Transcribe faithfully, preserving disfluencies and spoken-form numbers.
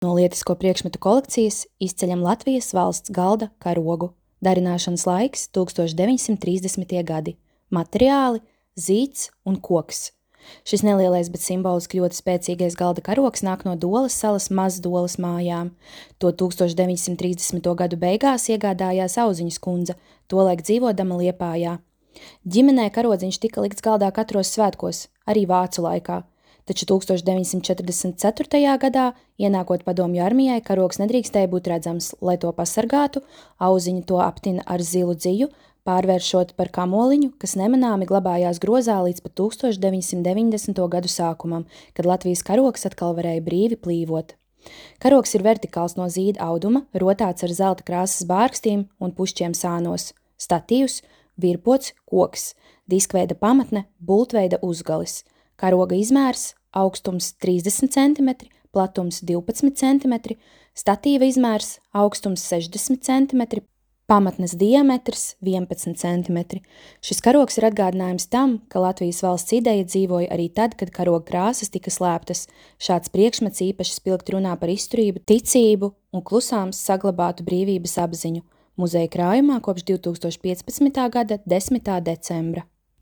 No lietisko priekšmetu kolekcijas izceļam Latvijas valsts galda karogu. Darināšanas laiks tūkstoš deviņsimt trīsdesmitie gadi. Materiāli – zīds un koks. Šis nelielais, bet simboliski ļoti spēcīgais galda karogs nāk no Dolas salas Mazdolas mājām. To tūkstoš deviņsimt trīsdesmito gadu beigās iegādājās Auziņas kundze, tolaik dzīvodama Liepājā. Ģimenē karodziņš tika likts galdā katros svētkos, arī vācu laikā. Taču tūkstoš deviņsimt četrdesmit ceturtajā gadā, ienākot padomju armijai, karogs nedrīkstēja būt redzams, lai to pasargātu, Auziņa to aptina ar zilu dziju, pārvēršot par kamoliņu, kas nemanāmi glabājās grozā līdz pat tūkstoš deviņsimt deviņdesmito gadu sākumam, kad Latvijas karogs atkal varēja brīvi plīvot. Karogs ir vertikāls no zīda auduma, rotāts ar zelta krāsas bārkstīm un pušķiem sānos, statīvs, virpots, koks, diskveida pamatne, bultveida uzgalis. Karoga izmērs – augstums trīsdesmit centimetri, platums divpadsmit centimetri, statīva izmērs – augstums sešdesmit centimetri, pamatnes diametrs – vienpadsmit centimetri. Šis karogs ir atgādinājums tam, ka Latvijas valsts ideja dzīvoja arī tad, kad karoga krāsas tika slēptas. Šāds priekšmets īpaši spilgti runā par izturību, ticību un klusām saglabātu brīvības apziņu. Muzeja krājumā kopš divtūkstoš piecpadsmitā gada desmitā decembra.